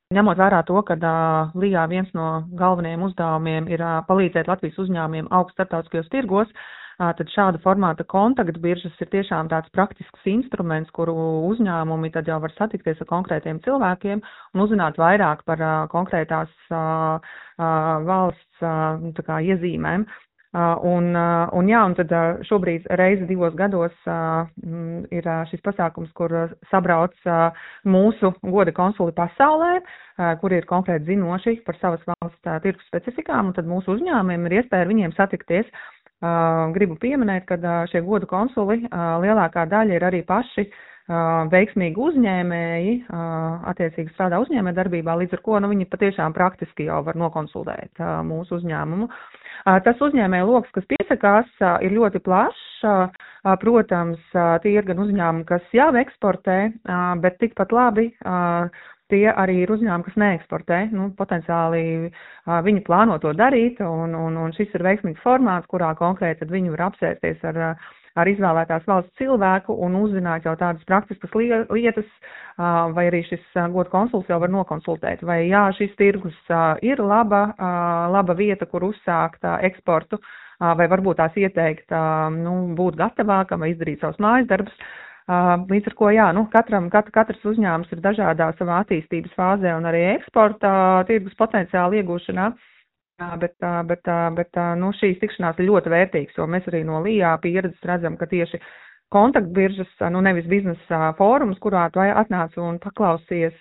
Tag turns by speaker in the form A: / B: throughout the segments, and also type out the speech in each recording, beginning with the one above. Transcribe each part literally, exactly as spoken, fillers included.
A: Ņemot vērā to, ka uh, Lijā viens no galvenajiem uzdevumiem ir uh, palīdzēt Latvijas uzņēmumiem augt starptautiskajos tirgos, uh, tad šāda formāta kontaktbiržas ir tiešām tāds praktisks instruments, kuru uzņēmumi tad jau var satikties ar konkrētiem cilvēkiem un uzzināt vairāk par uh, konkrētās uh, uh, valsts uh, tā kā iezīmēm. Uh, un, uh, un jā, un tad uh, šobrīd reizi divos gados uh, m, ir uh, šis pasākums, kur uh, sabrauc uh, mūsu goda konsuli pasaulē, uh, kuri ir konkrēti zinoši par savas valsts uh, tirgus specifikām, un tad mūsu uzņēmumiem ir iespēja ar viņiem satikties. Uh, gribu pieminēt, ka uh, šie goda konsuli uh, lielākā daļa ir arī paši uh, veiksmīgi uzņēmēji, uh, attiecīgi strādā uzņēmē darbībā, līdz ar ko nu, viņi patiešām praktiski jau var nokonsultēt uh, mūsu uzņēmumu. Tas uzņēmēju loks, kas piesakās, ir ļoti plašs. Protams, tie ir gan uzņēmumi, kas jau eksportē, bet tikpat labi tie arī ir uzņēmumi, kas neeksportē. Nu, potenciāli viņi plāno to darīt, un, un, un šis ir veiksmīgs formāts, kurā konkrēti tad viņi var apsēsties ar, ar izvēlētās valsts cilvēku un uzzināt jau tādas praktiskas lietas, vai arī šis goda konsuls jau var nokonsultēt, vai jā, šis tirgus ir laba, laba vieta, kur uzsākt eksportu, vai varbūt tās ieteikt nu, būt gatavākam vai izdarīt savus mājas darbus. Līdz ar ko, jā, nu, katram, kat, katrs uzņēmums ir dažādā savā attīstības fāzē un arī eksporta tirgus potenciāla iegūšanā. Bet, bet, bet nu, šīs tikšanās ir ļoti vērtīgas, jo mēs arī no Lijā pieredzes redzam, ka tieši kontaktbiržas, nu nevis biznesa fórums, kurā tu atnāc un paklausies,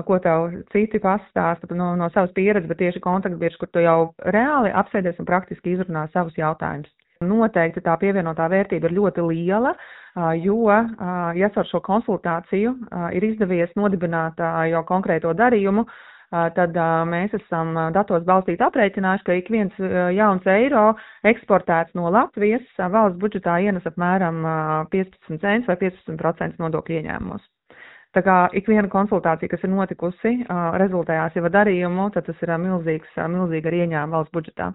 A: ko tev citi pastāsta no, no savas pieredzes, bet tieši kontaktbiržas, kur tu jau reāli apsēdies un praktiski izrunā savus jautājumus. Noteikti tā pievienotā vērtība ir ļoti liela, jo, ja ar šo konsultāciju ir izdevies nodibināt jau konkrēto darījumu, tad mēs esam datos balstīt aprēķinājuši, ka ik viens jauns eiro eksportēts no Latvijas valsts budžetā ienes apmēram piecpadsmit centus vai piecpadsmit procenti nodokļu ieņēmumos. Tā kā ik viena konsultācija, kas ir notikusi, rezultējās jau darījumu, tad tas ir milzīgs, milzīga ieņēmuma valsts budžetā.